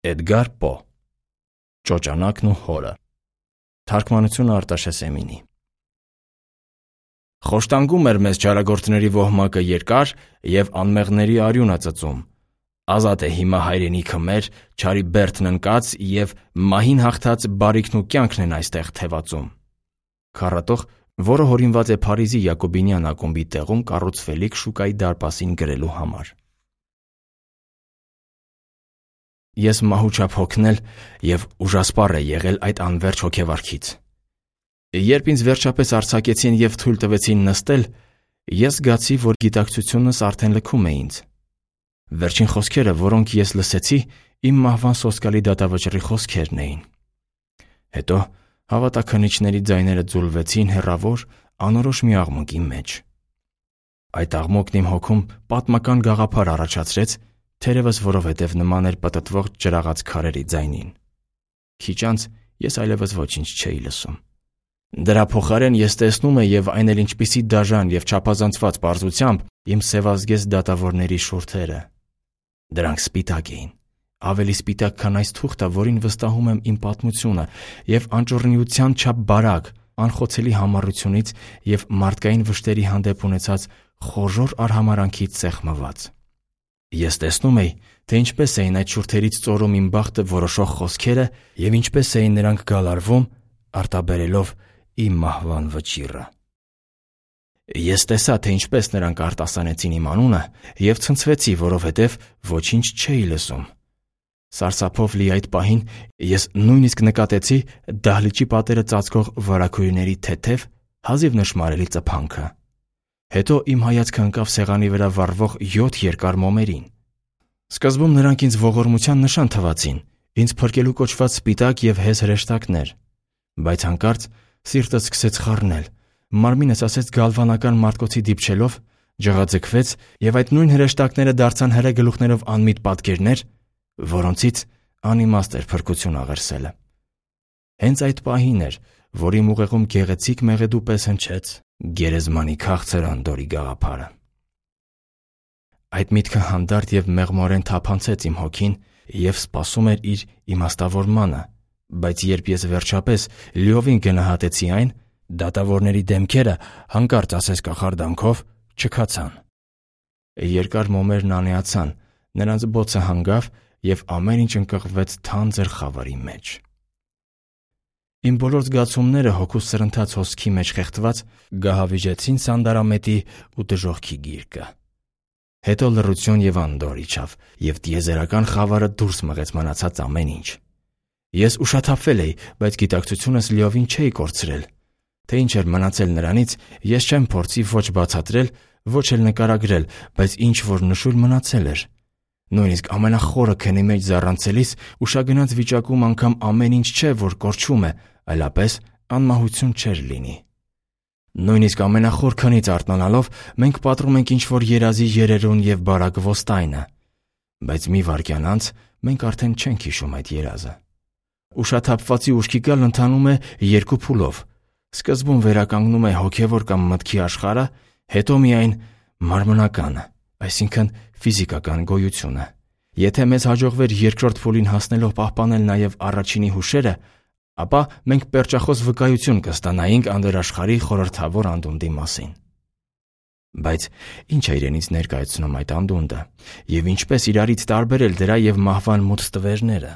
Էդգար Պո Ճոճանակն ու հորը Թարգմանություն Արտաշես Էմինի Խոշտանգում էր մեզ չարագործների ոհմակը երկար և անմեղների արյունը ծծում։ Ազատ է հիմա հայրենիքը մեր, չարի բերդն ընկած և մահին հաղթած բարիքն ու կյանքն են այստեղ թևածում։ Քառատող, որը հորինված է Փարիզի Յակոբինյան ակումբի տեղում կառուցվելիք շուկայի դարպասին գրելու համար։ Ես մահուչափ հոգնել և ուժասպառ է եղել այդ անվերջ հոգեվարքից։ Երբ ինձ վերջապես արձակեցին և թույլ տվեցին նստել, ես զգացի, որ գիտակցությունս արդեն լքում է ինձ։ Վերջին խոսքերը, որոնք ես լսեցի, իմ մահվան սոսկալի դատավճռի խոսքերն էին։ Հետո հավատաքննիչների ձայները ձուլվեցին հեռավոր, անորոշ մի աղմուկի մեջ։ Այդ աղմուկն իմ հոգում պատմական գաղափար առաջացրեց, թերևս որովհետև նման էր պտտվող ջրաղաց քարերի ձայնին։ Քիչ անց ես այլևս ոչինչ չէի լսում։ Դրա փոխարեն ես տեսնում էի և այն էլ ինչպիսի դաժան և չափազանցված պարզությամբ իմ սևազգեստ դատավորների շուրթերը։ Դրանք սպիտակ էին, ավելի սպիտակ, քան այս թուղթը, որին վստահում եմ իմ պատմությունը, և անճոռնիության չափ բարակ, անխոցելի համառությունից և մարդկային վշտերի հանդեպ ունեցած խոժոռ արհամարհանքից սեղմված։ Ես տեսնում էի, թե ինչպես էին այդ շուրթերից ծորում իմ բախտը որոշող խոսքերը և ինչպես էին նրանք գալարվում, արտաբերելով իմ մահվան վճիռը։ Ես տեսա, թե ինչպես նրանք արտասանեցին իմ անունը և ցնցվեցի, որովհետև ոչինչ չէի լսում։ Սարսափով լի այդ պահին ես նույնիսկ նկատեցի դահլիճի պատերը ծածկող վարագույրների թեթև, հազիվ նշմարելի ծփանքը։ Հետո իմ հայացքը ընկավ սեղանի վրա վառվող 7 երկար մոմերին։ Սկզբում նրանք ինձ ողորմության նշան թվացին, ինձ փրկելու կոչված սպիտակ և հեզ հրեշտակներ։ Բայց հանկարծ սիրտս սկսեց խառնել, մարմինս ասեց գալվանական մարտկոցի դիպչելով, ջղաձգվեց և այդ նույն հրեշտակները դարձան հրե գլուխներով անմիտ պատկերներ, որոնցից անիմաստ էր փրկություն աղերսելը։ Հենց այդ պահին էր, որ իմ ուղեղում գեղեցիկ մեղեդու պես հնչեց գերեզմանի քաղցր անդորի գաղափարը։ Այդ միտքը հանդարտ և մեղմորեն թափանցեց իմ հոգին և սպասում էր իր իմաստավորմանը, բայց երբ ես վերջապես լիովին գնահատեցի այն, դատավորների դեմքերը հանկարծ ասես կախարդանքով չքացան։ Երկար մոմերն անեացան, նրանց բոցը հանգավ և ամեն ինչ ընկղմվեց թանձր խավարի մեջ։ Իմ բոլոր զգացումները հոգուս սրընթաց հոսքի մեջ խեղդված գահավիժեցին սանդարամետի ու դժոխքի գիրկը։ Հետո լռություն և անդորր իջավ, և տիեզերական խավարը դուրս մղեց մնացած ամեն ինչ։ Ես ուշաթափվել էի, բայց գիտակցությունս լիովին չէի կորցրել։ Թե ինչ էր մնացել նրանից, ես չեմ փորձի ոչ բացատրել, ոչ էլ նկարագրել, բայց ինչ-որ նշույլ մնացել էր։ Նույնիսկ ամենախորը քնի մեջ զառանցելիս ուշագնաց վիճակում անգամ ամեն ինչ չէ, որ կորչում է, այլապես անմահություն չէր լինի։ Նույնիսկ ամենախոր քնից արթնանալով մենք պատռում ենք ինչ-որ երազի երերուն և բարակ ոստայնը։ Բայց մի վայրկյան անց մենք արդեն չենք հիշում այդ երազը։ Ուշաթափվածի ուշքի գալն ընթանում է երկու փուլով։ Սկզբում վերականգնում է հոգևոր կամ մտքի աշխարհը, հետո միայն մարմնականը, այսինքն ֆիզիկական գոյությունը։ Եթե մեզ հաջողվեր երկրորդ փուլին հասնելով պահպանել նաև առաջինի հուշերը, ապա մենք պերճախոս վկայություն կստանայինք անդրաշխարհի խորհրդավոր անդունդի մասին։ Բայց ի՞նչ է իրենից ներկայացնում այդ անդունդը, և ինչպես իրարից տարբերել դրա և մահվան մութ ստվերները։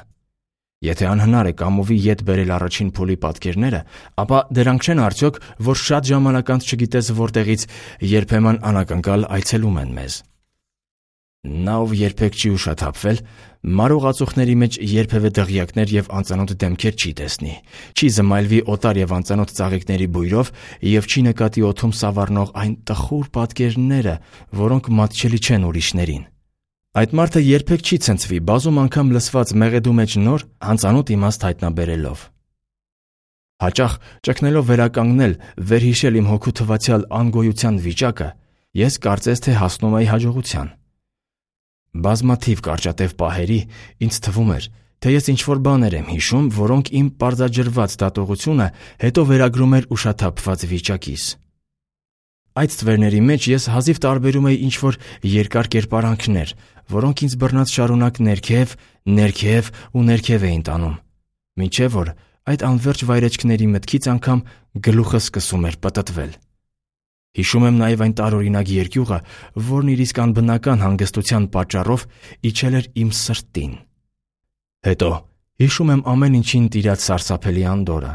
Եթե անհնար է կամովի ետ բերել առաջին փուլի պատկերները, ապա դրանք չեն արդյոք, որ շատ ժամանակ անց չգիտես որտեղից երբեմն անակնկալ այցելում են մեզ։ Նա, ով երբեք չի ուշաթափվել, մարող ածուխների մեջ երբևէ դղյակներ և անծանոթ դեմքեր չի տեսնի, չի զմայլվի օտար և անծանոթ ծաղիկների բույրով և չի նկատի օդում սավառնող այն տխուր պատկերները, որոնք մատչելի չեն ուրիշներին։ Այդ մարդը երբեք չի ցնցվի բազում անգամ լսված մեղեդու մեջ նոր, անծանոթ իմաստ հայտնաբերելով։ Հաճախ ճգնելով վերականգնել, վերհիշել իմ հոգու թվացյալ անգոյության վիճակը, ես կարծես թե հասնում էի հաջողության։ Բազմաթիվ կարճատև պահերի ինձ թվում էր, թե ես ինչ-որ բաներ եմ հիշում, որոնք իմ պարզաջրված դատողությունը հետո վերագրում էր ուշաթափված վիճակիս։ Այդ ստվերների մեջ ես հազիվ տարբերում էի ինչ-որ երկար կերպարանքներ, որոնք ինձ բռնած շարունակ ներքև ու ներքև էին տանում, մինչև որ այդ անվերջ վայրեջքների մտքից անգամ գլուխը սկսում էր պտտվել։ Հիշում եմ նաև այն տարօրինակ երկյուղը, որն իր իսկ անբնական հանգստության պատճառով իջել էր իմ սրտին։ Հետո հիշում եմ ամեն ինչին տիրած սարսափելի անդորրը։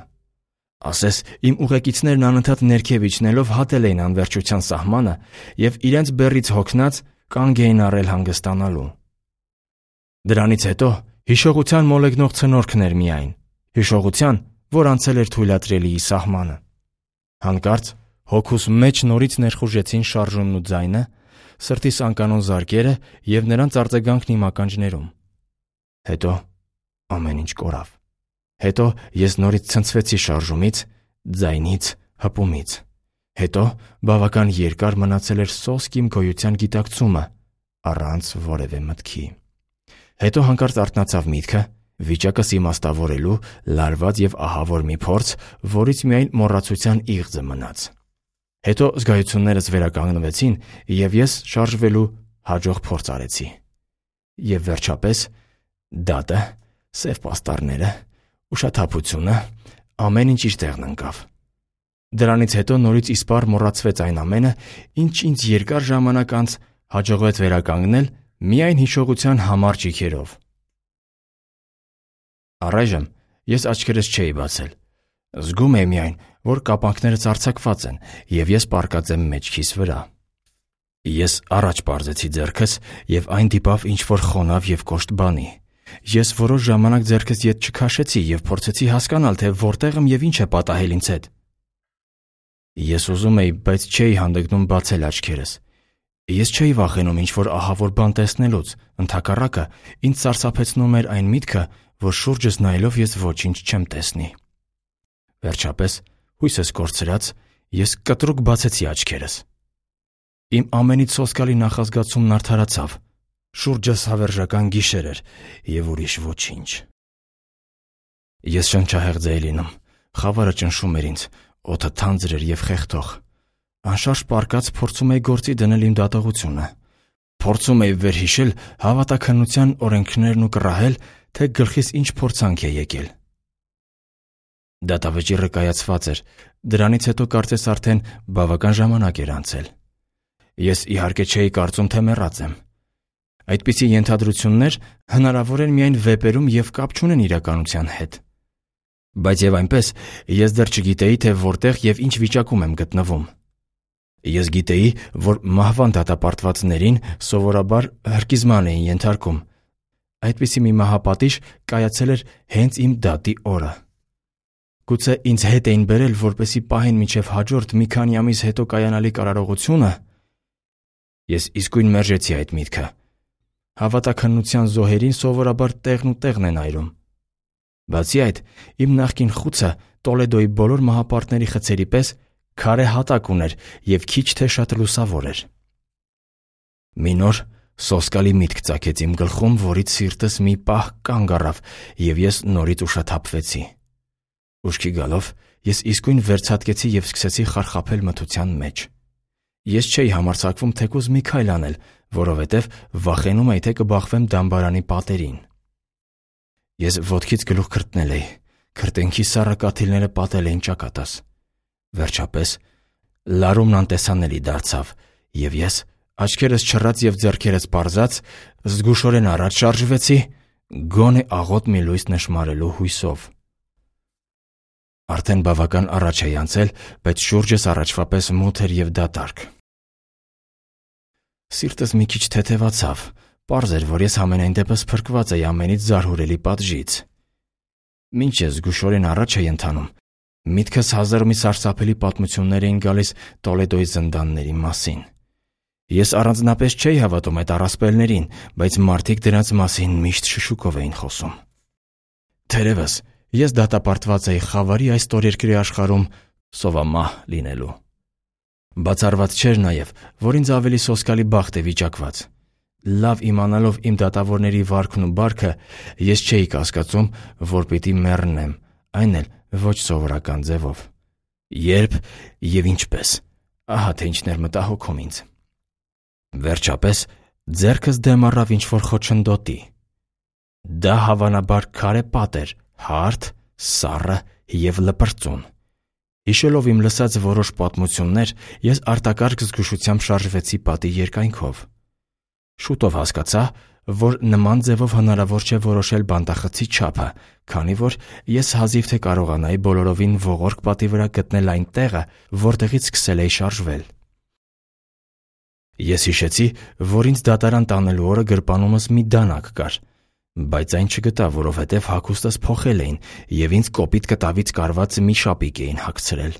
Ասես իմ ուղեկիցներն անընդհատ ներքև իջնելով հատել էին անվերջության սահմանը և իրենց բեռից հոգնած կանգ էին առել հանգստանալու։ Դրանից հետո հիշողության մոլեգնող ցնորքն էր միայն, հիշողության, որ անցել էր թույլատրելիի սահմանը։ Հանկարծ հոգուս մեջ նորից ներխուժեցին շարժումն ու ձայնը, սրտիս անկանոն զարկերը և նրանց արձագանքն իմ ականջներում։ Հետո ամեն ինչ կորավ։ Հետո ես նորից ցնցվեցի շարժումից, ձայնից, հպումից։ Հետո բավական երկար մնացել էր սոսկ իմ գոյության գիտակցումը, առանց որևէ մտքի։ Հետո հանկարծ արթնացավ միտքը, վիճակս իմաստավորելու լարված և ահավոր մի փորձ, որից միայն մոռացության իղձը մնաց։ Հետո զգայություններս վերականգնվեցին, և ես շարժվելու հաջող փորձ արեցի։ Եվ վերջապես դատը, սև պաստառները, ուշաթափությունը, ամեն ինչ իր տեղն ընկավ։ Դրանից հետո նորից իսպառ մոռացվեց այն ամենը, ինչ ինձ երկար ժամանակ անց հաջողվեց վերականգնել միայն հիշողության համառ ճիգերով։ Առայժմ ես աչքերս չէի բացել։ Զգում էի միայն, որ կապանքներս արձակված են, և ես պառկած եմ մեջքիս վրա։ Ես առաջ պարզեցի ձեռքս, և այն դիպավ ինչ-որ խոնավ և կոշտ բանի։ Ես որոշ ժամանակ ձեռքս ետ չքաշեցի և փորձեցի հասկանալ, թե որտեղ եմ և ինչ է պատահել ինձ հետ։ Ես ուզում էի, բայց չէի հանդգնում բացել աչքերս։ Ես չէի վախենում ինչ-որ ահավոր բան տեսնելուց, ընդհակառակը, ինձ սարսափեցնում էր այն միտքը, որ շուրջս նայելով ես ոչինչ չեմ տեսնի։ Վերջապես, հույսս կորցրած, ես կտրուկ բացեցի աչքերս։ Իմ ամենից սոսկալի նախազգացումն արդարացավ։ Շուրջս հավերժական գիշեր էր և ուրիշ ոչինչ։ Ես շնչահեղձ էի լինում, խավարը ճնշում էր ինձ, օդը թանձր էր և խեղդող։ Անշարժ պառկած փորձում էի գործի դնել իմ դատողությունը։ Փորձում էի վերհիշել հավատաքննության օրենքներն ու կռահել, թե գլխիս ինչ փորձանք է եկել։ Դատավճիռը կայացված էր, դրանից հետո կարծես արդեն բավական ժամանակ էր անցել։ Ես իհարկե չէի կարծում, թե մեռած եմ։ Այդպիսի ենթադրություններ հնարավոր են միայն վեպերում և կապ չունեն իրականության հետ։ Բայց և այնպես, ես դեռ չգիտեի, թե որտեղ և ինչ վիճակում եմ գտնվում։ Ես գիտեի, որ մահվան դատապարտվածներին սովորաբար հրկիզման էին ենթարկում։ Այդպիսի մի մահապատիժ կայացել էր հենց իմ դատի օրը։ Գուցե ինձ հետ էին բերել, որպեսզի պահեն մինչև հաջորդ մի քանի ամիս հետո կայանալի կարարողությունը։ Ես իսկույն մերժեցի այդ միտքը։ Հավատաքննության զոհերին սովորաբար տեղն ու տեղն են այրում։ Բացի այդ, իմ նախկին խուցը Տոլեդոյի բոլոր մահապարտների խցերի պես քարե հատակ ուներ և քիչ թե շատ լուսավոր էր։ Մի նոր սոսկալի միտք ծագեց իմ գլխում, որից սիրտս մի պահ կանգ առավ, և ես նորից ուշաթափվեցի։ Ուշքի գալով ես իսկույն վերցատկեցի և սկսեցի խարխափել մթության մեջ։ Ես չէի համարձակվում թեկուզ մի քայլ անել, որովհետև վախենում էի, թե կբախվեմ դամբարանի պատերին։ Ես ոտքից գլուխ քրտնել էի, քրտենքի սառը կաթիլները պատել էին ճակատս։ Վերջապես լարումն անտեսանելի դարձավ, և ես, աչքերս չռած և ձեռքերս պարզած, զգուշորեն առաջ շարժվեցի, գոնե աղոտ մի լույս նշմարելու հույսով։ Արդեն բավական առաջ էի անցել, բայց շուրջս առաջվա պես մութ էր և դատարկ։ Սիրտս մի քիչ թեթևացավ, պարզ էր, որ ես համենայն դեպս փրկված էի ամենից զարհուրելի պատժից։ Մինչ ես զգուշորեն առաջ էի ընթանում, միտքս հազար մի սարսափելի պատմություններ էին գալիս Տոլեդոյի զնդանների մասին։ Ես առանձնապես չէի հավատում այդ առասպելներին, բայց մարդիկ դրանց մասին միշտ շշուկով էին խոսում։ Թերևս ես դատապարտված էի խավարի այս ստորերկրի աշխարհում սովամահ լինելու։ Բացառված չէր նաև, որ ինձ ավելի սոսկալի բախտ է վիճակված։ Լավ իմանալով իմ դատավորների վարքն ու բարքը, ես չէի կասկածում, որ պիտի մեռնեմ, այն էլ ոչ սովորական ձևով։ Երբ և ինչպես, Ահա թե ինչն էր մտահոգում ինձ։ Վերջապես ձեռքս դեմ առավ ինչ-որ խոչընդոտի։ Դա հավանաբար քարե պատ էր, հարթ, սառը և լպրծուն։ Հիշելով իմ լսած որոշ պատմություններ, ես արտակարգ զգուշությամբ շարժվեցի պատի երկայնքով։ Շուտով հասկացա, որ նման ձևով հնարավոր չէ որոշել բանտախցի չափը, քանի որ ես հազիվ թե կարողանայի բոլորովին ողորկ պատի վրա գտնել այն տեղը, որտեղից սկսել էի շարժվել։ Ես հիշեցի, որ ինձ դատարան տանելու օրը գրպանումս մի դանակ կար, բայց այն չգտա, որովհետև հագուստս փոխել էին և ինձ կոպիտ կտավից կարված մի շապիկ էին հագցրել։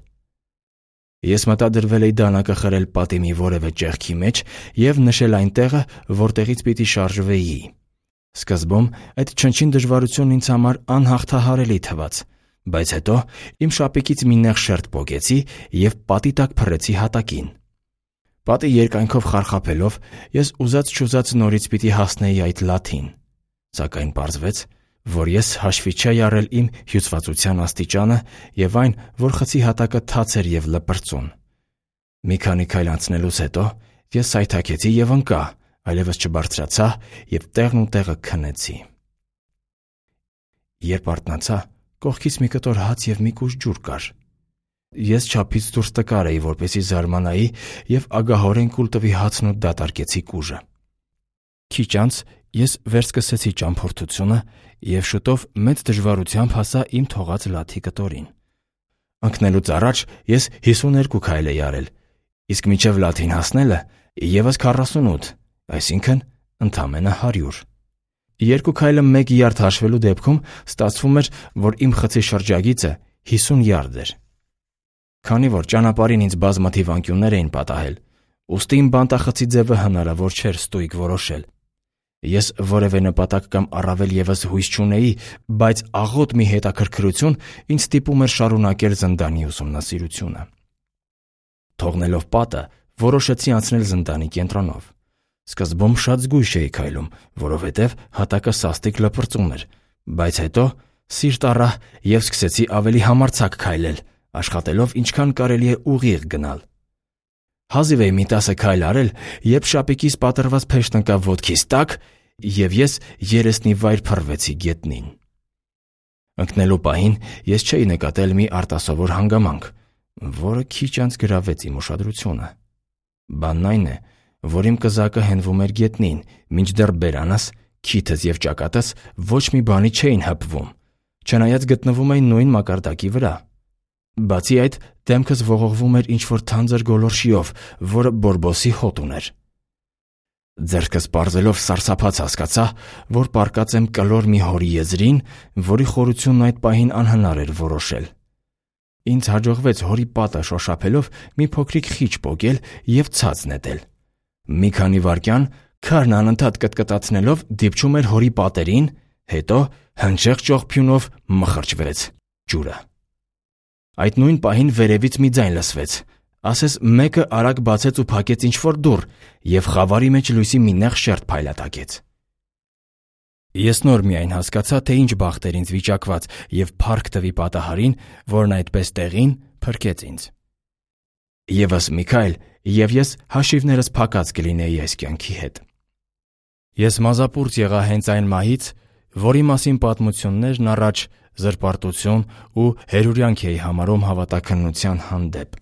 Ես մտադրվել էի դանակը խրել պատի մի որևէ ճեղքի մեջ և նշել այն տեղը, որտեղից պիտի շարժվեի։ Սկզբում այդ չնչին դժվարությունն ինձ համար անհաղթահարելի թվաց, բայց հետո իմ շապիկից մի նեղ շերտ պոկեցի և պատի տակ փռեցի հատակին։ Պատի երկայնքով խարխափելով, ես ուզած-չուզած նորից պիտի հասնեի այդ լաթին, սակայն պարզվեց, որ ես հաշվի չէի առել իմ հյուծվածության աստիճանը և այն, որ խցի հատակը թաց էր և լպրծուն։ Մի քանի քայլ անցնելուց հետո ես սայթաքեցի և ընկա, այլևս չբարձրացա և տեղն ու տեղը քնեցի։ Երբ արթնացա, կողքից մի կտոր հաց և մի կուժ ջուր կար։ Ես չափից դուրս տկար էի, որպեսզի զարմանայի, և ագահորեն կուլ տվի հացն ու դատարկեցի կուժը։ Քիչ անց ես վերսկսեցի ճամփորդությունը և շուտով մեծ դժվարությամբ հասա իմ թողած լաթի կտորին։ Ընկնելուց առաջ ես 52 քայլ էի արել, իսկ մինչև լաթին հասնելը ևս 48, այսինքն ընդամենը 100։ Երկու քայլը մեկ յարդ հաշվելու դեպքում ստացվում էր, որ իմ խցի շրջագիծը 50 յարդ էր։ Քանի որ ճանապարհին ինձ բազմաթիվ անկյուններ էին պատահել, ուստի իմ բանտախցի ձևը հնարավոր չէր ստույգ որոշել։ Ես որևէ նպատակ կամ առավել ևս հույս չունեի, բայց աղոտ մի հետաքրքրություն ինձ ստիպում էր շարունակել զնդանի ուսումնասիրությունը։ Թողնելով պատը, որոշեցի անցնել զնդանի կենտրոնով։ Սկզբում շատ զգույշ էի քայլում, որովհետև հատակը սաստիկ լպրծուն էր, բայց հետո սիրտ առա և սկսեցի ավելի համարձակ քայլել, աշխատելով ինչքան կարելի է ուղիղ գնալ։ Հազիվ էի մի 10 քայլ արել, երբ շապիկիս պատռված փեշտն ընկավ ոտքիս տակ, և ես երեսնիվայր փռվեցի գետնին։ Ընկնելու պահին ես չէի նկատել մի արտասովոր հանգամանք, որը քիչ անց գրավեց իմ ուշադրությունը։ Բանն այն է, որ իմ կզակը հենվում էր գետնին, մինչդեռ բերանս, քիթս և ճակատս ոչ մի բանի չէին հպվում, չնայած գտնվում էին նույն մակարդակի վրա։ Բացի այդ, դեմքս ողողվում էր ինչ-որ թանձր գոլորշիով, որը բորբոսի հոտ ուներ։ Ձեռքս պարզելով սարսափած հասկացա, որ պառկած եմ կլոր մի հորի եզրին, որի խորությունն այդ պահին անհնար էր որոշել։ Ինձ հաջողվեց հորի պատը շոշափելով մի փոքրիկ խիչ պոկել և ցած նետել։ Մի քանի վայրկյան քարն անընդհատ կտկտացնելով դիպչում էր հորի պատերին, հետո հնչեղ ճողփյունով մխրճվեց ջուրը։ Այդ նույն պահին վերևից մի ձայն լսվեց, ասես մեկը արագ բացեց ու փակեց ինչ-որ դուռ, և խավարի մեջ լույսի մի նեղ շերտ փայլատակեց։ Ես նոր միայն հասկացա, թե ինչ բախտ էր ինձ վիճակված, և փառք տվի պատահարին, որն այդպես տեղին փրկեց ինձ։ Եվս մի քայլ, և ես հաշիվներս փակած կլինեի այս կյանքի հետ։ Ես մազապուրծ եղա հենց այն մահից, որի մասին պատմություններն առաջ զրպարտություն ու հերուրյանք էի համարում հավատաքննության հանդեպ։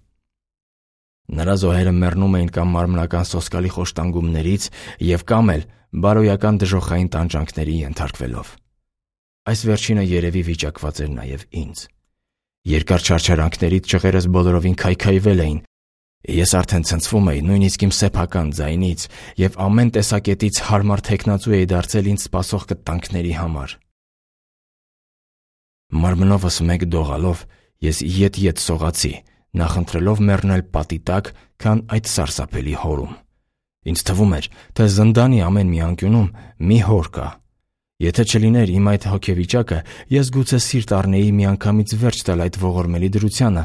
Նրա զոհերը մեռնում էին կամ մարմնական սոսկալի խոշտանգումներից և կամ էլ բարոյական դժոխային տանջանքների ենթարկվելով։ Այս վերջինը երևի վիճակված էր նաև ինձ։ Երկար չարչարանքներից ճղերս բոլորովին քայքայվել էին, ես արդեն ցնցվում էի նույնիսկ իմ սեփական ձայնից և ամեն տեսակետից հարմար թեկնածու էի դարձել ինձ սպասող կտանքների համար։ Մարմնովս մեկ դողալով ես ետ-ետ սողացի, նախընտրելով մեռնել պատի տակ, քան այդ սարսափելի հորում։ Ինձ թվում էր, թե զնդանի ամեն մի անկյունում մի հոր կա։ Եթե չլիներ իմ այդ հոգեվիճակը, ես գուցե սիրտ առնեի միանգամից վերջ տալ այդ ողորմելի դրությանը,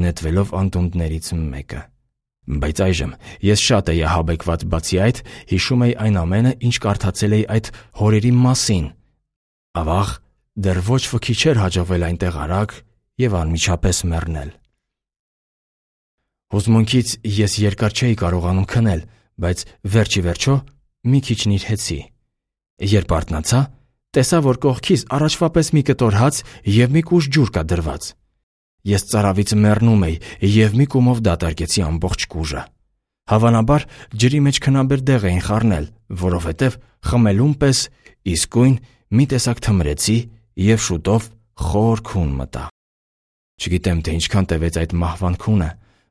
նետվելով անդունդներից մեկը։ Բայց այժմ ես շատ էի ահաբեկված, բացի այդ, հիշում էի այն ամենը, ինչ կարդացել էի այդ հորերի մասին։ Ավաղ, դեռ ոչ ոքի չէր հաջողվել այնտեղ արագ և անմիջապես մեռնել։ Հուզմունքից ես երկար չէի կարողանում քնել, բայց վերջի վերջո մի քիչ նիրհեցի։ Երբ արթնացա, տեսա, որ կողքիս առաջվա պես մի կտոր հաց և մի կուժ ջուր կա դրված։ Ես ծարավից մեռնում էի և մի կումով դատարկեցի ամբողջ կուժը։ Հավանաբար ջրի մեջ քնաբեր դեղ էին խառնել, որովհետև խմելուն պես իսկույն մի տեսակ թմրեցի և շուտով խոր քուն մտա։ Չգիտեմ, թե ինչքան տևեց այդ մահվան քունը,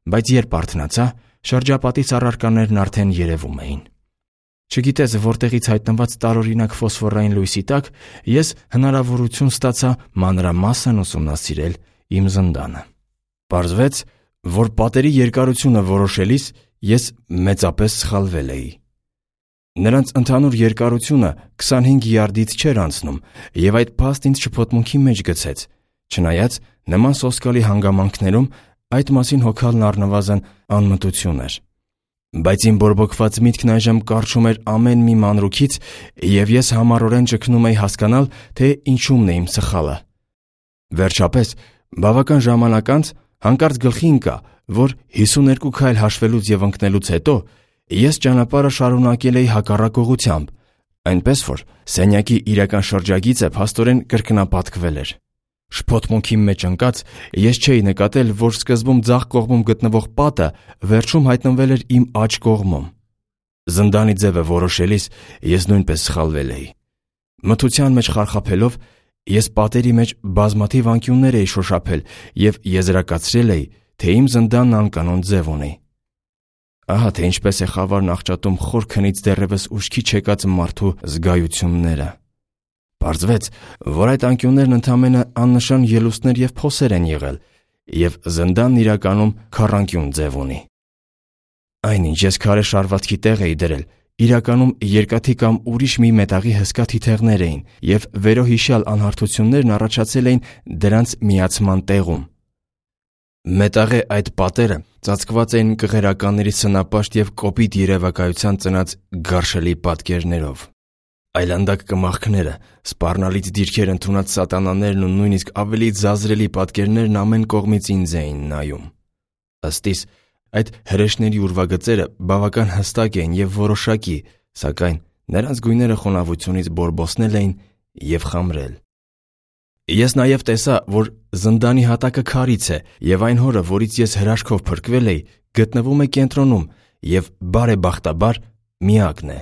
բայց երբ արթնացա, շրջապատից առարկաներն արդեն երևում էին։ Չգիտես որտեղից հայտնված տարօրինակ ֆոսֆորային լույսի տակ ես հնարավորություն ստացա մանրամասն ուսումնասիրել իմ զնդանը։ Պարզվեց, որ պատերի երկարությունը որոշելիս ես մեծապես սխալվել էի։ Նրանց ընդհանուր երկարությունը 25 յարդից չէր անցնում, և այդ փաստն ինձ շփոթմունքի մեջ գցեց, չնայած նման սոսկալի հանգամանքներում այդ մասին հոգալն առնվազն անմտություն էր։ Բայց իմ բորբոքված միտքն այժմ կառչում էր ամեն մի մանրուքից, և ես համառորեն ճգնում էի հասկանալ, թե ինչումն է իմ սխալը։ Վերջապես, բավական ժամանակ անց հանկարծ գլխի ընկա, որ 52 քայլ հաշվելուց և ընկնելուց հետո ես ճանապարհը շարունակել էի հակառակ ուղղությամբ, այնպես որ սենյակի իրական շրջագիծը փաստորեն կրկնապատկվել էր։ Շփոթմունքի մեջ ընկած ես չէի նկատել, որ սկզբում ձախ կողմում գտնվող պատը վերջում հայտնվել էր իմ աջ կողմում։ Զնդանի ձևը որոշելիս ես նույնպես սխալվել էի։ Մթության մեջ խարխափելով ես պատերի մեջ բազմաթիվ անկյուններ էի շոշափել և եզրակացրել էի, թե իմ զնդանն անկանոն ձև ունի։ Ահա թե ինչպես է խավարն աղճատում խոր քնից դեռևս ուշքի չեկած մարդու զգայությունները։ Պարզվեց, որ այդ անկյուններն ընդամենը աննշան ելուստներ և փոսեր են եղել, և զնդանն իրականում քառանկյուն ձև ունի։ Այն, ինչ ես քարե շարվածքի տեղ էի դրել, իրականում երկաթի կամ ուրիշ մի մետաղի հսկա թիթեղներ էին, և վերոհիշյալ անհարթություններն առաջացել էին դրանց միացման տեղում։ Մետաղե այդ պատերը ծածկված էին կղերականների սնապաշտ և կոպիտ երևակայության ծնած գարշելի պատկերներով։ Այլանդակ կմախքները, սպառնալից դիրքեր ընդունած սատանաներն ու նույնիսկ ավելի ձազրելի պատկերներն ամեն կողմից ինձ էին նայում։ Ըստ իս, այդ հրեշների ուրվագծերը բավական հստակ էին և որոշակի, սակայն նրանց գույները խոնավությունից բորբոսնել էին և խամրել։ Ես նաև տեսա, որ զնդանի հատակը քարից է, և այն հորը, որից ես հրաշքով փրկվել էի, գտնվում է կենտրոնում և բարեբախտաբար միակն է։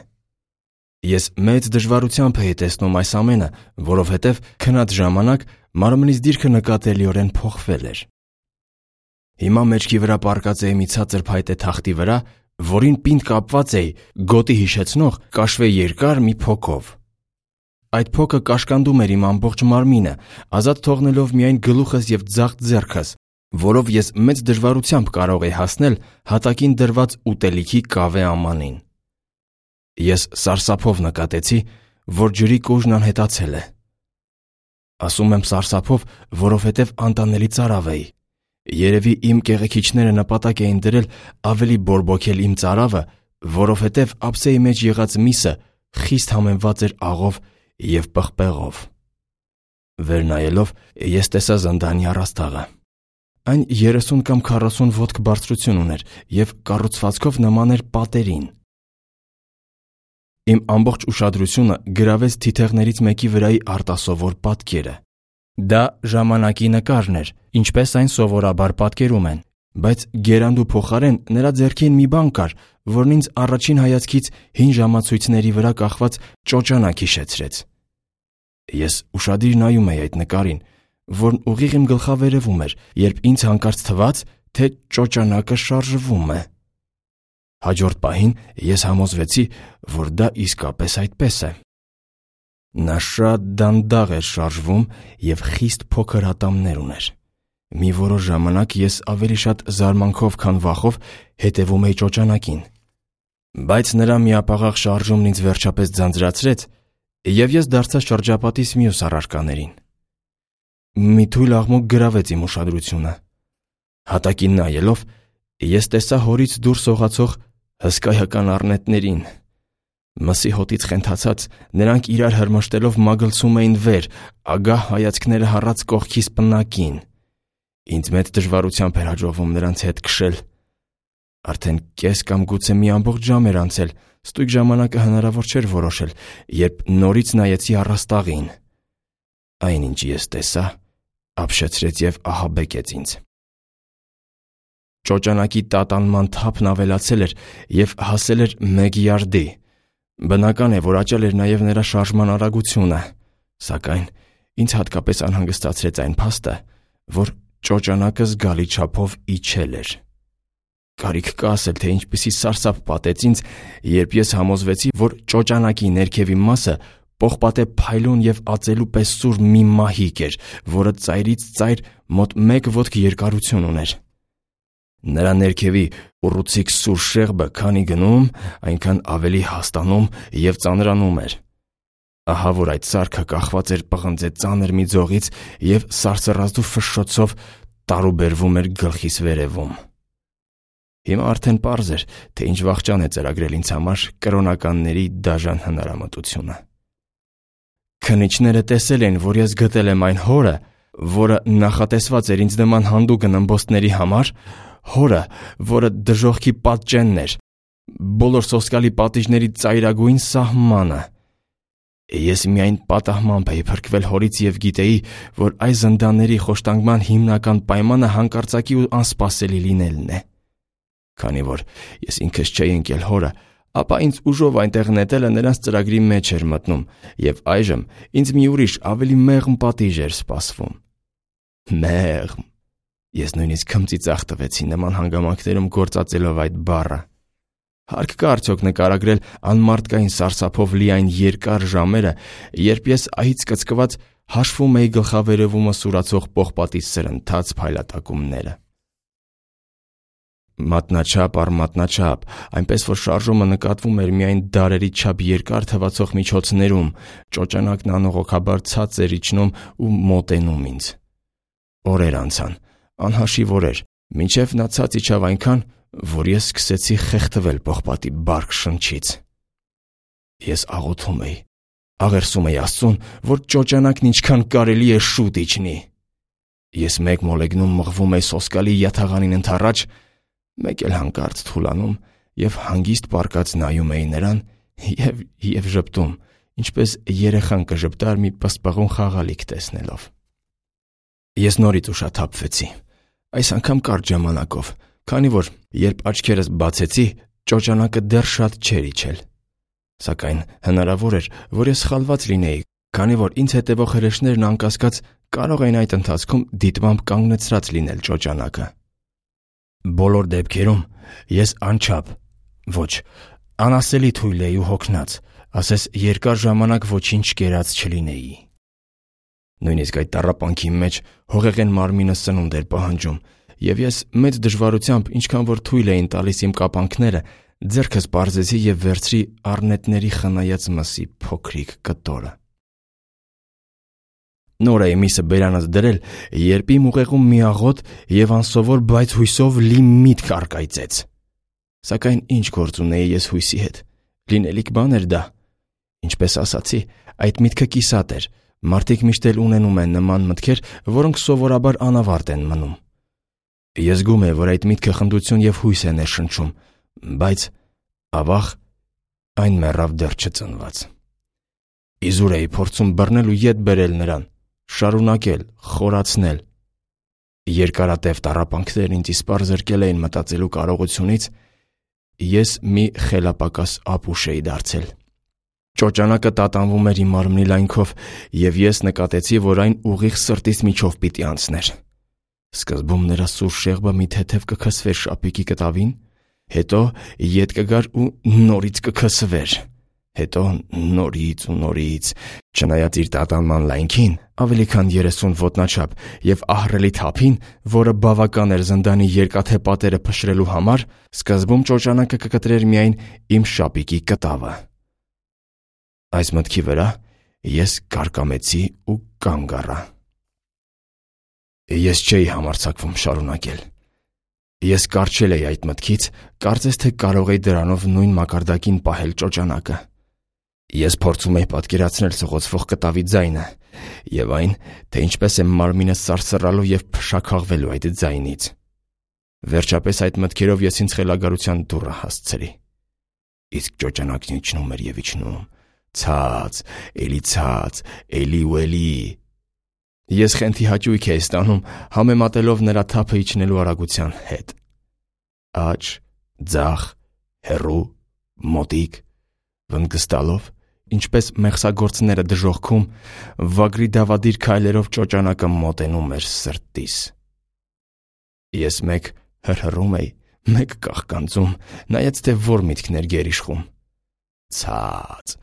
Ես մեծ դժվարությամբ էի տեսնում այս ամենը, որովհետև քնած ժամանակ մարմնիս դիրքը նկատելիորեն փոխվել էր։ Հիմա մեջքի վրա պառկած էի մի ցածր փայտե թախտի վրա, որին պինդ կապված էի գոտի հիշեցնող կաշվե երկար մի փոքով։ Այդ փոքը կաշկանդում էր իմ ամբողջ մարմինը, ազատ թողնելով միայն գլուխս և ձախ ձեռքս, որով ես մեծ դժվարությամբ կարող էի հասնել հատակին դրված ուտելիքի կավե ամանին։ Ես սարսափով նկատեցի, որ ջրի կուժն անհետացել է։ Ասում եմ սարսափով, որովհետև անտանելի ծարավ էի։ Երևի իմ կեղեքիչները նպատակ էին դրել ավելի բորբոքել իմ ծարավը, որովհետև ափսեի մեջ եղած միսը խիստ համեմված էր աղով և պղպեղով։ Վեր նայելով ես տեսա զնդանի առաստաղը։ Այն 30 կամ 40 ոտք բարձրություն ուներ և կառուցվածքով նման էր պատերին։ Իմ ամբողջ ուշադրությունը գրավեց թիթեղներից մեկի վրայի արտասովոր պատկերը։ Դա ժամանակի նկարն էր, ինչպես այն սովորաբար պատկերում են, բայց գերանդու փոխարեն նրա ձեռքին մի բան կար, որն ինձ առաջին հայացքից հին ժամացույցների վրա կախված ճոճանակ հիշեցրեց։ Ես ուշադիր նայում էի այդ նկարին, որն ուղիղ իմ գլխավերևում էր, երբ ինձ հանկարծ թվաց, թե ճոճանակը շարժվում է։ Հաջորդ պահին ես համոզվեցի, որ դա իսկապես այդպես է։ Նա շատ դանդաղ էր շարժվում և խիստ փոքր ատամներ ուներ։ Մի որոշ ժամանակ ես ավելի շատ զարմանքով, քան վախով հետևում էի ճոճանակին։ Բայց նրա միապաղաղ շարժումն ինձ վերջապես ձանձրացրեց, և ես դարձա շրջապատիս մյուս առարկաներին։ Մի թույլ աղմուկ գրավեց իմ ուշադրությունը։ Հատակին նայելով, ես տեսա հորից դուրս սողացող հսկայական առնետներին։ Մսի հոտից խենթացած, նրանք իրար հրմշտելով մագլցում էին վեր, ագահ հայացքները հառած կողքիս պնակին։ Ինձ մեծ դժվարությամբ էր հաջողվում նրանց հետ քշել։ Արդեն կես կամ գուցե մի ամբողջ ժամ էր անցել, ստույգ ժամանակը հնարավոր չէր որոշել, երբ նորից նայեցի առաստաղին։ Այնինչ ես տեսա, ապշեցրեց և ահաբեկեց ինձ։ Ճոճանակի տատանման թափն ավելացել էր և հասել էր 1 յարդի։ Բնական է, որ աճել էր նաև նրա շարժման արագությունը, սակայն ինձ հատկապես անհանգստացրեց այն փաստը, որ ճոճանակը զգալի չափով իջել էր։ Կարիք կա ասել, թե ինչպիսի սարսափ պատեց ինձ, երբ ես համոզվեցի, որ ճոճանակի ներքևի մասը պողպատե փայլուն և ածելու պես սուր մի մահիկ էր, որը ծայրից ծայր մոտ 1 ոտք երկարություն ուներ։ Նրա ներքևի ուռուցիկ սուր շեղբը քանի գնում, այնքան ավելի հաստանում և ծանրանում էր։ Ահա որ այդ սարքը կախված էր պղնձե ծանր մի ձողից և սարսռազդու ֆշշոցով տարուբերվում էր գլխիս վերևում։ Հիմա արդեն պարզ էր, թե ինչ վախճան է ծրագրել ինձ համար կրոնականների դաժան հնարամտությունը։ Քննիչները տեսել էին, որ ես գտել եմ այն հորը, որը նախատեսված էր ինձ նման հանդուգն ըմբոստների համար, հորը, որը դժոխքի պատճենն էր, բոլոր սոսկալի պատիժների ծայրագույն սահմանը։ Ես միայն պատահմամբ էի փրկվել հորից և գիտեի, որ այս զնդանների խոշտանգման հիմնական պայմանը հանկարծակի ու անսպասելի լինելն է։ Քանի որ ես ինքս չէի ընկել հորը, ապա ինձ ուժով այնտեղ նետելը նրանց ծրագրի մեջ էր մտնում, և այժմ ինձ մի ուրիշ ավելի մեղմ պատիժ էր սպասվում։ Մեղմ։ Ես նույնիսկ քմծիծաղ տվեցի նման հանգամանքներում գործածելով այդ բառը։ Հարկ կա արդյոք նկարագրել անմարդկային սարսափով լի այն երկար ժամերը, երբ ես ահից կծկված հաշվում էի գլխավերևումը սուրացող պողպատի սրընթաց փայլատակումները։ Մատնաչափ առ մատնաչափ, այնպես որ շարժումը նկատվում էր միայն դարերի չափ երկար թվացող միջոցներում, ճոճանակն անողոքաբար ցած էր իջնում ու մոտենում ինձ։ Օրեր անցան, անհաշիվ օրեր, մինչև նա ցած իջավ այնքան, որ ես սկսեցի խեղդվել պողպատի բարք շնչից։ Ես աղոթում էի, աղերսում էի Աստծուն, որ ճոճանակն ինչքան կարելի է շուտ իջնի։ Ես մեկ մոլեգնում մղվում էի սոսկալի յաթաղանին ընդառաջ, մեկ էլ հանկարծ թուլանում և հանգիստ պառկած նայում էի նրան և ժպտում, ինչպես երեխան կժպտար մի պսպղուն խաղալիք տեսնելով։ Ես նորից ուշաթափվեցի, այս անգամ կարճ ժամանակով, քանի որ երբ աչքերս բացեցի, ճոճանակը դեռ շատ չէր իջել։ Սակայն հնարավոր էր, որ ես սխալված լինեի, քանի որ ինձ հետևող հրեշներն անկասկած կարող էին այդ ընթացքում դիտմամբ կանգնեցրած լինել ճոճանակը։ Բոլոր դեպքերում ես անչափ, ոչ, անասելի թույլ էի ու հոգնած, ասես երկար ժամանակ ոչինչ կերած չլինեի։ Նույնիսկ այդ տառապանքի մեջ հողեղեն մարմինը սնունդ էր պահանջում, և ես մեծ դժվարությամբ, ինչքան որ թույլ էին տալիս իմ կապանքները, ձեռքս պարզեցի և վերցրի առնետների խնայած մսի փոքրիկ կտորը։ Նոր էի միսը բերանս դրել, երբ իմ ուղեղում մի աղոտ և անսովոր, բայց հույսով լի միտք առկայծեց։ Սակայն ինչ գործ ունեի ես հույսի հետ, լինելիք բան էր դա։ Ինչպես ասացի, այդ միտքը կիսատ էր, մարդիկ միշտ էլ ունենում են նման մտքեր, որոնք սովորաբար անավարտ են մնում։ Ես զգում էի, որ այդ միտքը խնդություն և հույս է ներշնչում, բայց ավաղ այն մեռավ դեռ չծնված։ Իզուր էի փորձում բռնել ու ետ բերել նրան, շարունակել, խորացնել։ Երկարատև տառապանքներն ինձ իսպառ զրկել էին մտածելու կարողությունից, ես մի խելապակաս ապուշ էի դարձել։ Ճոճանակը տատանվում էր իմ մարմնի լայնքով, և ես նկատեցի, որ այն ուղիղ սրտիս միջով պիտի անցներ։ Սկզբում նրա սուր շեղբը մի թեթև կքսվեր շապիկի կտավին, հետո ետ կգար ու նորից կքսվեր, հետո նորից ու նորից, չնայած իր տատանման լայնքին, ավելի քան 30 ոտնաչափ և ահռելի թափին, որը բավական էր զնդանի երկաթե պատերը փշրելու համար, սկզբում ճոճանակը կկտրեր միայն իմ շապիկի կտավը։ Այս մտքի վրա ես կարկամեցի ու կանգ առա։ Ես չէի համարձակվում շարունակել։ Ես կառչել էի այդ մտքից, կարծես թե կարող էի դրանով նույն մակարդակին պահել ճոճանակը։ Ես փորձում էի պատկերացնել սղոցվող կտավի ձայնը և այն, թե ինչպես է մարմինս սարսռալու և փշաքաղվելու այդ ձայնից։ Վերջապես այդ մտքերով ես ինձ խելագարության դուռը հասցրի։ Իսկ ճոճանակն իջնում էր եւ իջնում, ցած, էլի ու էլի։ Ես խենթի հաճույք էի ստանում համեմատելով նրա թափը իջնելու արագության հետ։ Աջ, ձախ, հեռու, մոտիկ, վնգստալով, ինչպես մեղսագործները դժոխքում, վագրի դավադիր քայլերով ճոճանակը մոտենում էր սրտիս։ Ես մեկ հրհռում էի, մեկ կաղկանձում, նայեց թե որ միտքներ գերիշխում։ Ցած,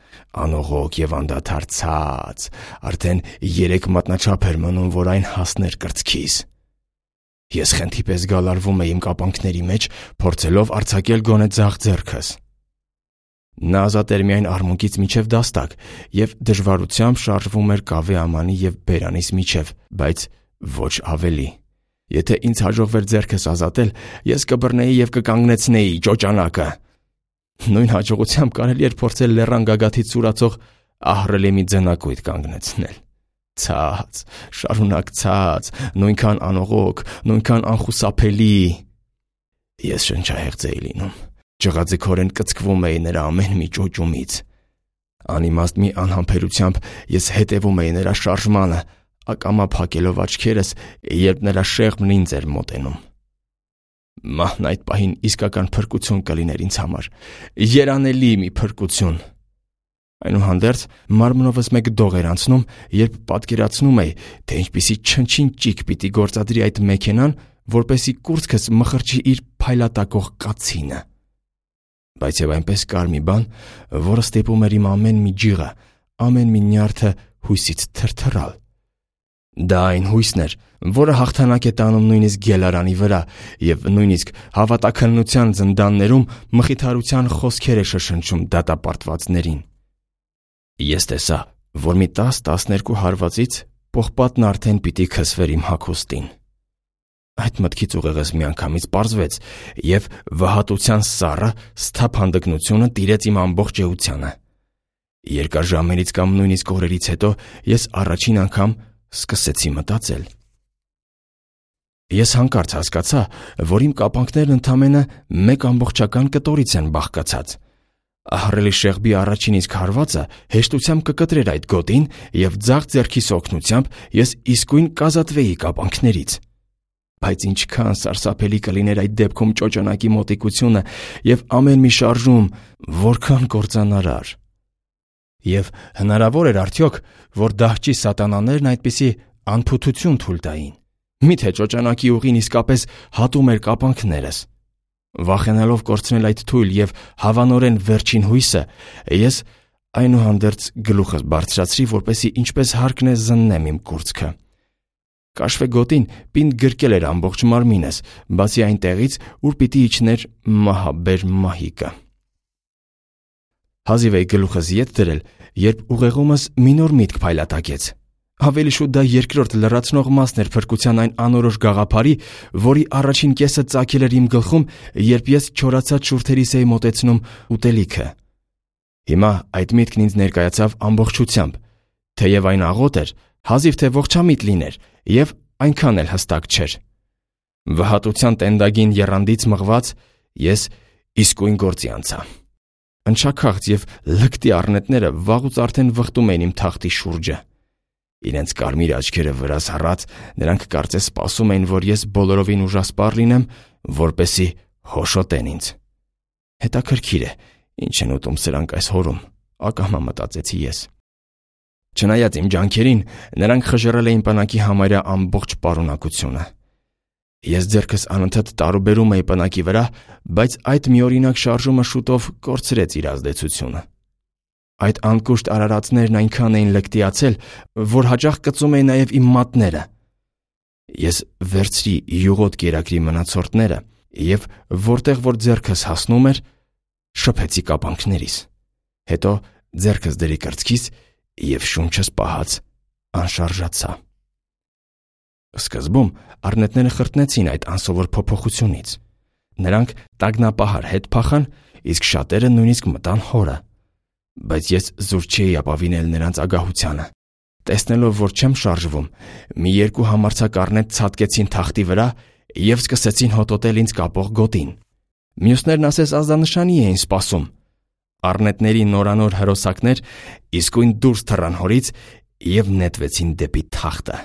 անողոք եւ անդադար ցած, արդեն 3 մատնաչափ էր մնում, որ այն հասներ կրծքիս։ Ես խենթի պես գալարվում էի իմ կապանքների մեջ, փորձելով արձակել գոնե ձախ ձեռքս։ Նա ազատ էր միայն արմունկից միջև դաստակ եւ դժվարությամբ շարժվում էր կավե ամանի եւ բերանիս միջև, բայց ոչ ավելի։ Եթե ինձ հաջողվեր ձեռքս ազատել, ես կբռնեի եւ կկանգնեցնեի ճոճանակը։ Նույն հաջողությամբ կարելի էր փորձել լեռան գագաթից սուրացող ահռելի մի ձնակույտ կանգնեցնել։ Ցած, շարունակ ցած, նույնքան անողոք, նույնքան անխուսափելի։ Ես շնչահեղձ էի լինում, ջղաձգորեն կծկվում էի նրա ամեն մի ճոճումից։ Անիմաստ մի անհամբերությամբ ես հետևում էի նրա շարժմանը, ակամա փակելով աչքերս, երբ նրա շեղբն ինձ էր մոտենում։ Մահն այդ պահին իսկական փրկություն կլիներ ինձ համար, երանելի մի փրկություն։ Այնուհանդերձ մարմնովս մեկ դող էր անցնում, երբ պատկերացնում էի, թե ինչպիսի չնչին-ճիք պիտի գործադրի այդ մեքենան, որպեսզի կուրծքս մխրճի իր փայլատակող կացինը։ Բայց եւ այնպես կար մի բան, որը ստիպում էր իմ ամեն մի ջիղը, ամեն մի նյարդը հույսից թրթռալ։ Դա այն հույսն էր, որը հաղթանակ է տանում նույնիսկ գելարանի վրա եւ նույնիսկ հավատաքննության զնդաններում մխիթարության խոսքեր է շշնջում դատապարտվածներին։ Ես տեսա, որ մի 10-12 հարվածից պողպատն արդեն պիտի քսվեր իմ հագուստին։ Այդ մտքից ուղեղս միանգամից պարզվեց եւ վհատության սառը սթափ հանդգնությունը տիրեց իմ ամբողջ էությանը։ Երկար ժամերից կամ նույնիսկ օրերից հետո ես առաջին անգամ սկսեցի մտածել։ Ես հանկարծ հասկացա, որ իմ կապանքներն ընդամենը մեկ ամբողջական կտորից են բաղկացած։ Ահռելի շեղբի առաջին իսկ հարվածը հեշտությամբ կկտրեր այդ գոտին եւ ձախ ձեռքիս օգնությամբ ես իսկույն կազատվեի կապանքներից։ Բայց ինչքան սարսափելի կլիներ այդ դեպքում ճոճանակի մոտիկությունը եւ ամեն մի շարժում, որքան կործանարար։ Եվ հնարավոր էր արդյոք, որ դահճի սատանաներն այդպիսի անփութություն թույլ տային։ Միթե ճոճանակի ուղին իսկապես հատում էր կապանքներս։ Վախենալով կորցնել այդ թույլ եւ հավանորեն վերջին հույսը, ես այնուհանդերձ գլուխս բարձրացրի, որպեսզի ինչպես հարկն է զննեմ իմ կուրծքը։ Կաշվե գոտին պինդ գրկել էր ամբողջ մարմինս, բացի այն տեղից, ուր պիտի իջներ մահաբեր մահիկը։ Հազիվ էի գլուխս ետ դրել, երբ ուղեղումս մի նոր միտք փայլատակեց։ Ավելի շուտ դա երկրորդ լրացնող մասն էր փրկության այն անորոշ գաղափարի, որի առաջին կեսը ծագել էր իմ գլխում, երբ ես չորացած շուրթերիս էի մոտեցնում ուտելիքը։ Հիմա այդ միտքն ինձ ներկայացավ ամբողջությամբ, թեև այն աղոտ էր, հազիվ թե ողջամիտ լիներ, եւ այնքան էլ հստակ չէր։ Վհատության տենդագին եռանդից մղված ես իսկույն գործի անցա։ Ընչաքաղց եւ լկտի առնետները վաղուց արդեն վխտում էին իմ թախտի շուրջը։ Իրենց կարմիր աչքերը վրաս հառած, նրանք կարծես սպասում էին, որ ես բոլորովին ուժասպառ լինեմ, որպեսզի հոշոտեն ինձ։ Հետաքրքիր է, ինչ են ուտում սրանք այս հորում, ակամա մտածեցի ես։ Չնայած իմ ջանքերին, նրանք խժռել էին պնակի համարյա ամբողջ պարունակությունը։ Ես ձեռքս անընդհատ տարուբերում էի պնակի վրա, բայց այդ միօրինակ շարժումը շուտով կորցրեց իր ազդեցությունը։ Այդ անկուշտ արարածներն այնքան էին լկտիացել, որ հաճախ կծում էին նաև իմ մատները։ Ես վերցրի յուղոտ կերակրի մնացորդները եւ որտեղ որ ձեռքս հասնում էր, շփեցի կապանքներիս։ Հետո ձեռքս դրի կրծքիս եւ շունչս պահած անշարժացա։ Սկզբում առնետները խրտնեցին այդ անսովոր փոփոխությունից։ Նրանք տագնապահար հետ փախան, իսկ շատերը նույնիսկ մտան հորը։ Բայց ես զուր չէի ապավինել նրանց ագահությանը։ Տեսնելով, որ չեմ շարժվում, մի երկու համարձակ առնետ ցատկեցին թախտի վրա և սկսեցին հոտոտել ինձ կապող գոտին։ Մյուսներն ասես ազդանշանի էին սպասում։ Առնետների նորանոր հրոսակներ իսկույն դուրս թռան հորից և նետվեցին դեպի թախտը։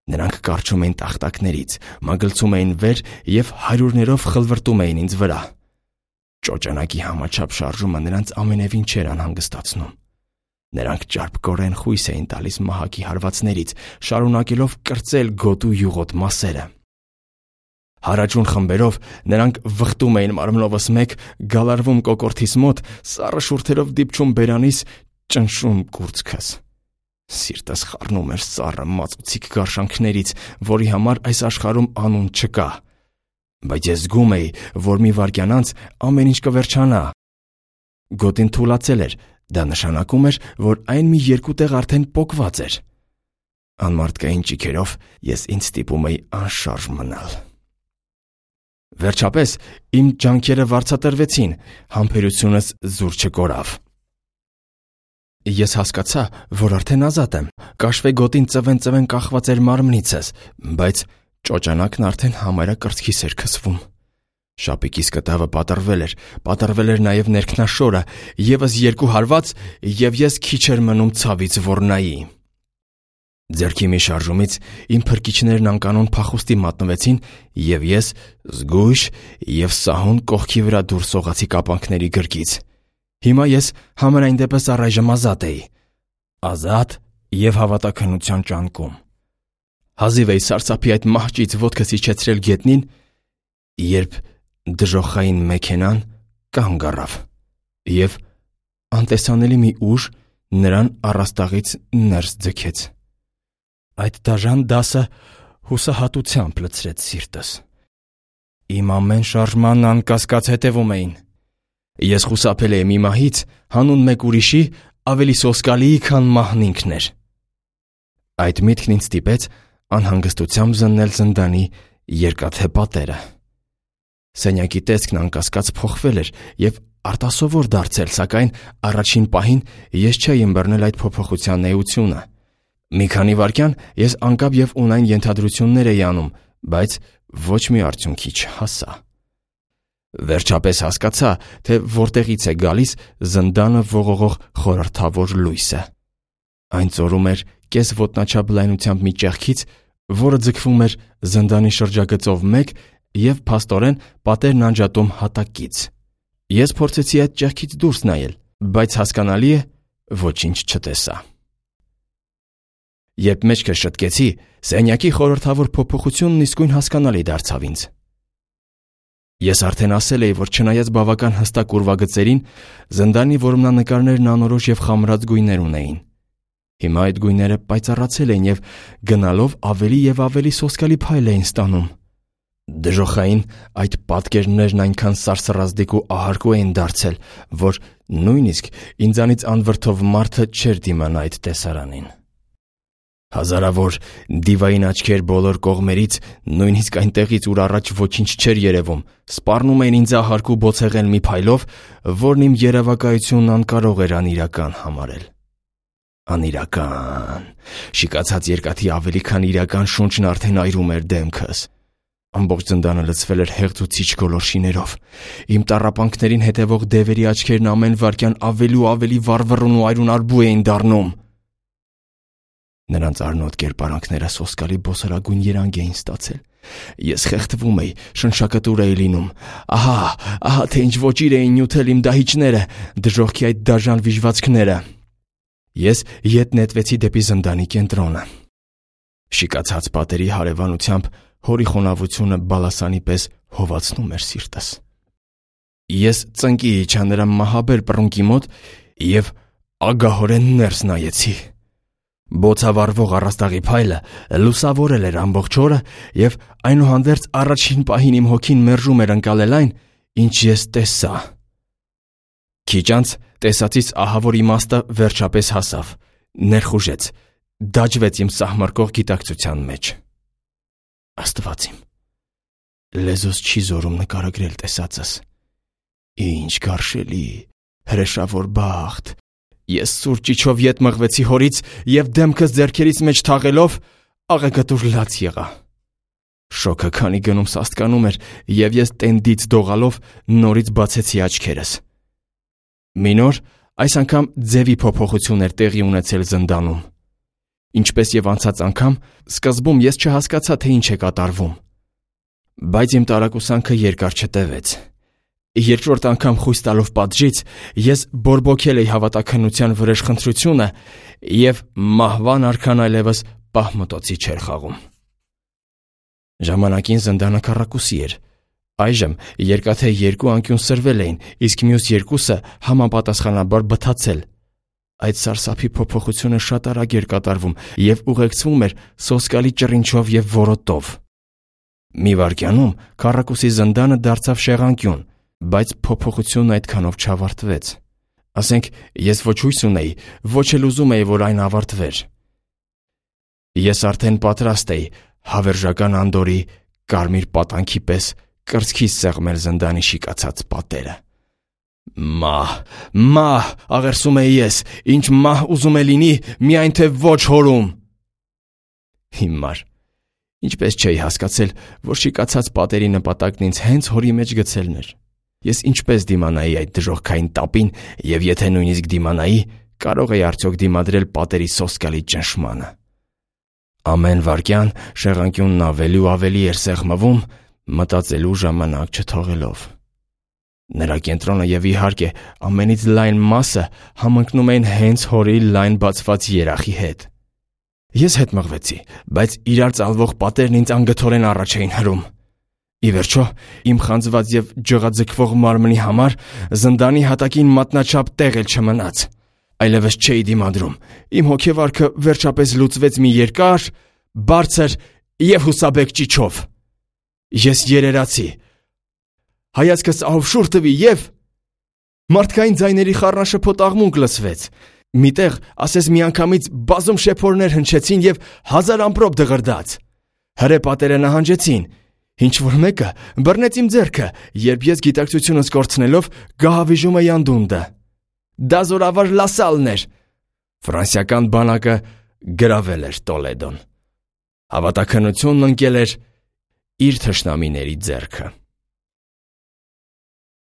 Նրանք կառչում էին տախտակներից, մագլցում էին վեր և հարյուրներով խլվրտում էին ինձ վրա։ Ճոճանակի համաչափ շարժումը նրանց ամենևին չէր անհանգստացնում։ Նրանք ճարպկորեն խույս էին տալիս մահակի հարվածներից, շարունակելով կրծել գոտու յուղոտ մասերը։ Հարաճուն խմբերով նրանք վխտում էին մարմնովս մեկ, գալարվում կոկորդիս մոտ, սառը շուրթերով դիպչում բերանիս, ճնշում կուրծքս։ Սիրտս խառնում էր սառը մածուցիկ գարշանքներից, որի համար այս աշխարհում անուն չկա։ Բայց ես զգում էի, որ մի վայրկյան անց ամեն ինչ կվերջանա։ Գոտին թուլացել էր, դա նշանակում էր, որ այն մի երկու տեղ արդեն պոկված էր։ Անմարդկային ճիգերով ես ինձ ստիպում էի անշարժ մնալ։ Վերջապես իմ ջանքերը վարձատրվեցին, համբերությունս զուր չկորավ։ Ես հասկացա, որ արդեն ազատ եմ։ Կաշվե գոտին ծվեն կախված էր մարմնիցս, բայց ճոճանակն արդեն համարյա կրծքիս էր քսվում։ Շապիկիս կտավը պատռվել էր նաև ներքնաշորը, ևս 2 հարված, և ես քիչ էր մնում ցավից ոռնայի։ Ձեռքի մի շարժումից իմ փրկիչներն անկանոն փախուստի մատնվեցին, և ես զգույշ և սահուն կողքի վրա դուրս սողացի կապանքների գրկից։ Հիմա ես համենայն դեպս առայժմ ազատ էի։ Ազատ և հավատաքննության ճանկում։ Հազիվ էի սարսափի այդ մահճից ոտքս իջեցրել գետնին, երբ դժոխային մեքենան կանգ առավ, և անտեսանելի մի ուժ նրան առաստաղից ներս ձգեց։ Այդ դաժան դասը հուսահատությամբ լցրեց սիրտս։ Իմ ամեն շարժման անկասկած հետևում էին։ Ես խուսափել էի մի մահից, հանուն մեկ ուրիշի, ավելի սոսկալիի, քան մահն ինքն էր։ Այդ միտքն ինձ ստիպեց անհանգստությամբ զննել զնդանի երկաթե պատերը։ Սենյակի տեսքն անկասկած փոխվել էր և արտասովոր դարձել, սակայն առաջին պահին ես չէի ըմբռնել այդ փոփոխության էությունը։ Մի քանի վայրկյան ես անկապ և ունայն ենթադրություններ էի անում, բայց ոչ մի արդյունքի չհասա։ Վերջապես հասկացա, թե որտեղից է գալիս զնդանը ողողող խորհրդավոր լույսը։ Այն ծորում էր կես ոտնաչափ լայնությամբ մի ճեղքից, որը ձգվում էր զնդանի շրջագծով մեկ և փաստորեն պատերն անջատում հատակից։ Ես փորձեցի այդ ճեղքից դուրս նայել, բայց հասկանալի է, ոչինչ չտեսա։ Երբ մեջքս շտկեցի, սենյակի խորհրդավոր փոփոխությունն իսկույն հասկանալի դարձավ ինձ։ Ես արդեն ասել էի, որ չնայած բավական հստակ ուրվագծերին, զնդանի որմնանկարներն անորոշ և խամրած գույներ ունեին։ Հիմա այդ գույները պայծառացել էին և գնալով ավելի և ավելի սոսկալի փայլ էին ստանում։ Դժոխային այդ պատկերներն այնքան սարսռազդիկ ու ահարկու էին դարձել, որ նույնիսկ ինձանից անվրդով մարդը չէր դիմանա այդ տեսարանին։ Հազարավոր դիվային աչքեր բոլոր կողմերից, նույնիսկ այնտեղից, ուր առաջ ոչինչ չէր երևում, սպառնում էին ինձ ահարկու բոցեղել մի փայլով, որն իմ երևակայությունն անկարող էր անիրական համարել։ Անիրական։ Շիկացած երկաթի ավելի քան իրական շունչն արդեն այրում էր դեմքս։ Ամբողջ զնդանը լցվել էր հեղձուցիչ գոլորշիներով։ Իմ տառապանքներին հետևող դևերի աչքերն ամեն վայրկյան ավելի ու ավելի վառվռուն ու այրունարբու էին դառնում։ Նրանց արնոտ կերպարանքները սոսկալի բոսորագույն երանգ էին ստացել։ Ես խեղդվում էի, շնշակտուր էի լինում։ Ահա թե ինչ ոճիր էին նյութել իմ դահիճները, դժոխքի այդ դաժան վիժվածքները։ Ես ետ նետվեցի դեպի զնդանի կենտրոնը։ Շիկացած պատերի հարևանությամբ հորի խոնավությունը բալասանի պես հովացնում էր սիրտս։ Ես ծնկի իջա նրա մահաբեր պռունկի մոտ և ագահորեն ներս նայեցի։ Բոցավառվող առաստաղի փայլը լուսավորել էր ամբողջ օրը և այնուհանդերձ առաջին պահին իմ հոգին մերժում էր ընկալել այն, ինչ ես տեսա։ Քիչ անց տեսածից ահավոր իմաստը վերջապես հասավ, ներխուժեց, դաջվեց իմ սահմռկող գիտակցության մեջ։ Աստված իմ, լեզուս չի զորում նկարագրել տեսածս։ Ինչ գարշելի, հրեշավոր բախտ։ Ես սուր ճիչով ետ մղվեցի հորից և դեմքս ձեռքերիս մեջ թաղելով աղեգտուր լաց եղա։ Շոկը քանի գնում սաստկանում էր, և ես տենդից դողալով նորից բացեցի աչքերս։ Մի նոր, այս անգամ ձևի փոփոխություն էր տեղի ունեցել զնդանում։ Ինչպես և անցած անգամ, սկզբում ես չհասկացա, թե ինչ է կատարվում։ Բայց իմ տարակուսանքը երկար չտևեց։ Երկրորդ անգամ խույս տալով պատժից, ես բորբոքել էի հավատաքննության վրեժխնդրությունը և մահվան արքան այլևս պահմտոցի չէր խաղում։ Ժամանակին զնդանը քառակուսի էր։ Այժմ երկաթե 2 անկյուն սրվել էին, իսկ մյուս 2-ը համապատասխանաբար բթացել։ Այդ սարսափի փոփոխությունը շատ արագ էր կատարվում և ուղեկցվում էր սոսկալի ճռինչով և որոտով։ Մի վայրկյանում քառակուսի զնդանը դարձավ շեղանկյուն, բայց փոփոխությունն այդքանով չավարտվեց։ Ասենք, ես ոչ հույս ունեի, ոչ էլ ուզում էի, որ այն ավարտվեր։ Ես արդեն պատրաստ էի հավերժական Անդորի կարմիր պատանքի պես կրծքիս սեղմել զնդանի շիկացած պատերը։ Մահ, աղերսում էի ես, ինչ մահ ուզում է լինի, միայն թե ոչ հորում։ Հիմար, ինչպես չէի հասկացել, որ շիկացած պատերի նպատակն ինձ հենց հորի մեջ գցելն էր։ Ես ինչպես դիմանայի այդ դժոխքային տապին, և եթե նույնիսկ դիմանայի, կարող էի արդյոք դիմադրել պատերի սոսկալի ճնշմանը։ Ամեն վայրկյան շեղանկյունն ավելի ու ավելի էր սեղմվում, մտածելու ժամանակ չթողելով։ Նրա կենտրոնը և իհարկե ամենից լայն մասը համընկնում էին հենց հորի լայն բացված երախի հետ։ Ես հետ մղվեցի, բայց իրար ծալվող պատերն ինձ անգթորեն առաջ էին հրում։ Ի վերջո, իմ խանձված և ջղաձգվող մարմնի համար զնդանի հատակին մատնաչափ տեղ էլ չմնաց։ Այլևս չէի դիմադրում։ Իմ հոգեվարքը վերջապես լուծվեց մի երկար, բարձր և հուսաբեկ ճիչով։ Ես երերացի։ Հայացքս ահով տվի և մարդկային ձայների խառնաշփոթ աղմուկ լսվեց։ Միտեղ, ասես միանգամից բազում շեփորներ հնչեցին և 1000 ամպրոպ դղրդաց։ Հրե պատերը նահանջեցին։ Ինչ-որ մեկը բռնեց իմ ձեռքը, երբ ես գիտակցությունս կորցնելով գահավիժում էի անդունդը։ Դա զորավար Լասալն էր։ Ֆրանսիական բանակը գրավել էր Տոլեդոն։ Հավատաքննությունն ընկել էր իր թշնամիների ձեռքը։